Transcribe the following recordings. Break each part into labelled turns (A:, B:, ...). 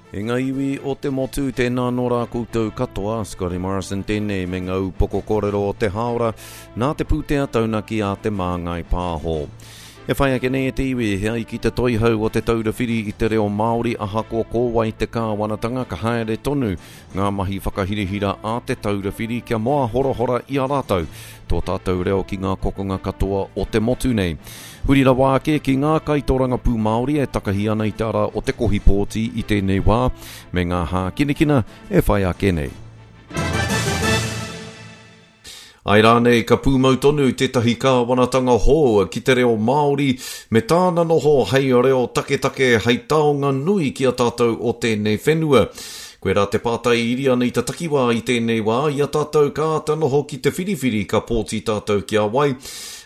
A: E ngā iwi o te motu, tēnā nō rā koutou katoa, Scotty Morrison tēnei me ngā upoko kōrero o te hāora, nā te pūtea taunaki a Te Māngai Pāho. E whai ake nei e te iwi, he ai ki te toihau o Te Taura Whiri i te Reo Māori ahakoa ko wai te kāwanatanga ka haere tonu ngā mahi whakahirahira a Te Taura Whiri kia moahorahora i a rātou tō tātou reo ki ngā kokonga katoa o te motu nei. Huri rawa ake ki ngā kaitōrangapū Māori e takahi ana i te ara o te kohi pōti i tēnei wā, me ngā hākinakina e whai ake nei. Āe rānei ka pūmau tonu tētahi kāwanatanga hou ki te reo Māori me tāna noho hei reo taketake hei taonga nui ki a tātou o tēnei whenua? Koirā te pātai iri ana i te takiwā i tēnei wā, i a tātou ka āta noho ki te whiriwhiri ka pōti tātou ki a wai,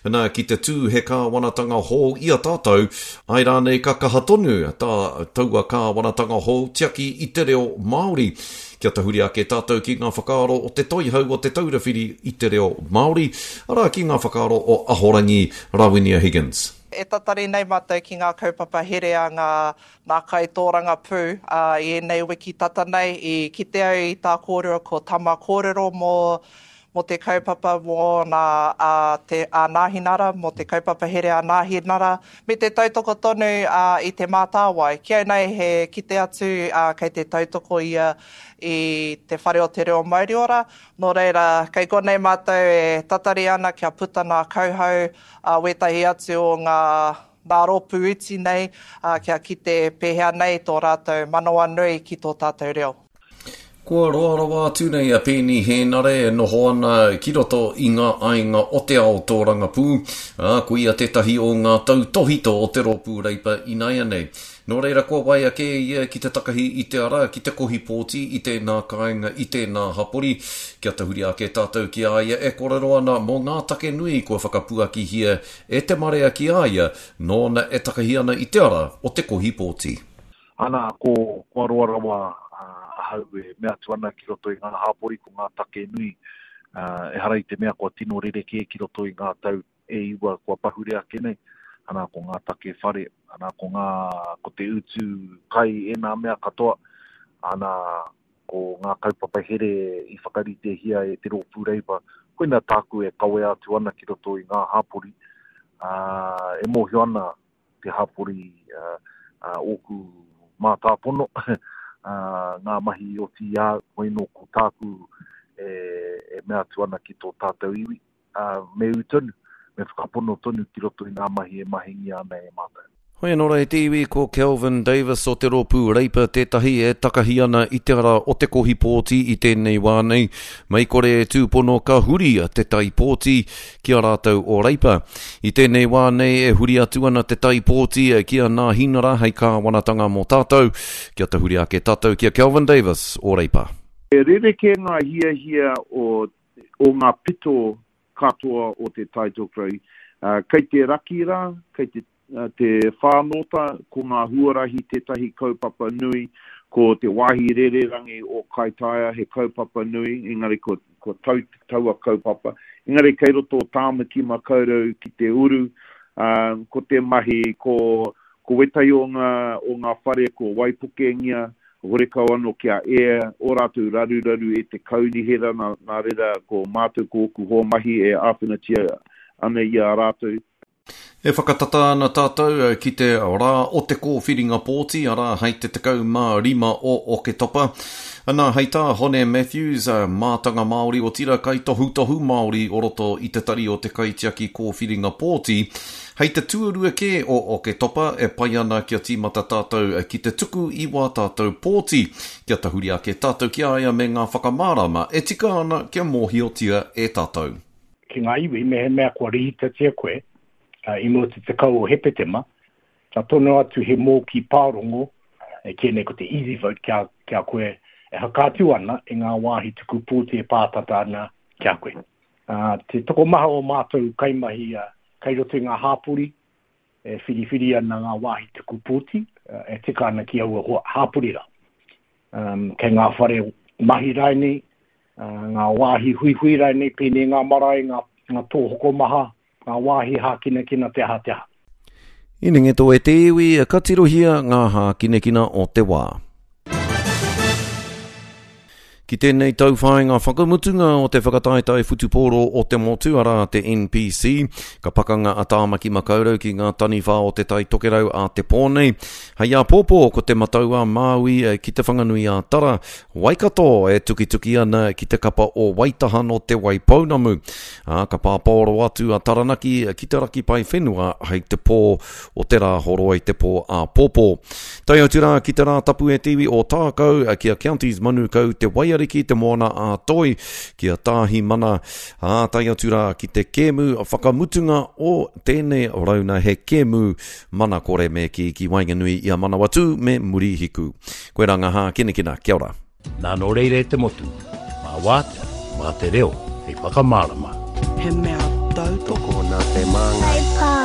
A: nā, ki te tū he kāwanatanga hou i a tātou, āe rānei ka kaha tonu tā taua kāwanatanga hou tiaki i te reo Māori. Kia tahuri ake tātou ki ngā whakaaro o te Toihau o Te Taura Whiri i te Reo Māori, arā ki ngā whakaaro o Ahorangi Rawinia Higgins.
B: E tatari nei mātou ki ngā kaupapa here a ngā nā kaitōrangapū, ā, i ēnei wiki tata nei i kite au i tā kōrero ko Tama Kōrero mō mō te kaupapa mō nā, ā, te, a Nāhinara, mō te kaupapa here a Nāhinara, me te tautoko tonu, ā, i Te Mātāwai. Ki au nei he kite atu, ā, kei te tautoko ia i Te Whare o te Reo Mauriora, nō reira, kei konei mātou e tatari ana kia puta nā kauhau, ā, wētahi atu o ngā, ngā rōpū iti nei, ā, kia kite pēhea nei tō rātou manawanui ki tō tātou reo.
A: Kua roa rawa atu nei a Peeni Hēnare e noho ana ki roto i ngā aiga o te ao tōrangapū, ā, ko ia tētahi o ngā tautōhito o te Rōpū Reipa inaianei. Nō reira kua waia kē ia ki te takahi i te ara, ki te kohi pōti i tēnā kāinga, i tēnā hapori. Kia tahuri ake tātou ki a ia e kōrero ana mō ngā take nui kua whakapuakihia e te marea ki a ia, nōna e takahi ana i te ara o te kohi pōti.
C: Ana, ko, kua roa rawa ahau e mea atu ana ki roto i ngā hāpori ko ngā take nui, ehara i te mea kua tino rerekē ki roto i ngā tau e iwa kua pahure ake nei, ana, ko ngā take whare, ana, ko ngā, ko te utu kai ēnā mea katoa, ana, ko ngā kaupapa here i whakaritehia e te Rōpū Reipa, koina tāku e kawea atu ana ki roto i ngā hāpori, ā, e mōhio ana te hapori ōku mātāpono, ngā mahi i oti i a au, hoi nō ko tāku e mea atu ana ki tō tātou iwi, me ū tonu, me whakapono tonu ki roto i ngā mahi e mahingia ana e mātou.
A: Hoi anō rā e te iwi, ko Kelvin Davis o te Rōpū Reipa tētahi e takahi ana i te ara o te kohi pōti i tēnei wā nei. Mei kore e tūpono ka huri te tai pōti ki a rātou o Reipa. I tēnei wā nei e huri atu ana te tai pōti ki a Nāhinara hei kāwanatanga mō tātou. Kia tahuri ake tātou ki a Kelvin Davis o Reipa.
D: He rerekē ngā hiahia o o ngā pito katoa o Te Tai Tokerau. Kei te raki rā, kei te te whānōta, ko ngā huarahi tētahi kaupapa nui, ko te wāhi rererangi o Kaitaia he kaupapa nui, engari ko, ko tau taua kaupapa. Engari kei roto o Tāmaki Makaurau ki te uru, ā, ko te mahi, ko, ko wētahi o ngā, o ngā whare kua waipukengia, horekau anō kia ea ō rātou raruraru e te kaunihera, nā, nā reira ko mātou ko ōku hoa mahi e āwhinatia ana i a rātou.
A: E whakatata ana tātou ki te rā o te kōwhiringa pōti, arā, hei te 15 o Oketopa. Ana, hei tā Hone Matthews, mātanga Māori, otirā kaitohutohu Māori o roto i te tari o te Kaitiaki Kōwhiringa Pōti, hei te tuarua kē o Oketopa e pai ana kia tīmata tātou ki te tuku i wā tātou pōti, kia tahuri ake tātou ki a ia me ngā whakamārama e tika ana kia mōhiotia e tātou.
E: Ki ngā iwi, mehemea kua rīhitatia koe i mua te 10 o Hepetema, ka tono atu he mōkī pārongo, e kīia nei ko te Easy Vote ki a, ki a koe e whakaatu ana i ngā wāhi tuku pōti e pātata ana ki a koe. Uh, te tokomaha o mātou kaimahi uh, kei roto i ngā hāpori e whiriwhiri ana ngā wāhi tuku pōti uh, e tika ana ki aua hāpori rā. Um, kei ngā whare mahi rainei, ngā wāhi huihui rānei, pēnei ngā marae, ngā, ngā tōhokomaha, ngā wāhi hākinakina, te aha, te aha.
A: Inengeto e te iwi, ka tirohia ngā hākinakina o te wā. Ki tēnei tauwhāinga whakamutunga o te whakataetae whutupōro o te motu, arā te NPC, ka pakanga a Tāmaki Makaurau ki ngā taniwha o Te Tai Tokerau a te pō nei. Hei āpōpō ko Te Matau-a-Māui ki Te Whanganui-a-Tara, Waikato e tukituki ana ki te kapa o Waitaha nō Te Waipounamu. Ā, ka pāpaoro atu a Taranaki ki te raki pae whenua hei te pō o te Rāhoroi te pō āpōpō. Tae atu rā ki te Rātapu e te iwi o Tākau, ki a Counties Manukau, Te Waiariki, Te Moana a Toi, ki a Tāhimana, ā, tae atu rā ki te kēmu whakamutunga o tēnei rauna he kēmu mana kore me kī ki waenganui i a Manawatū me Murihiku. Koirā ngā hākinakina. Kia ora.
F: Nā nō reira e te motu, mā wātea, mā te reo hei whakamārama.
G: He mea tautoko.
H: Tokona te māngai.
I: Whai pā.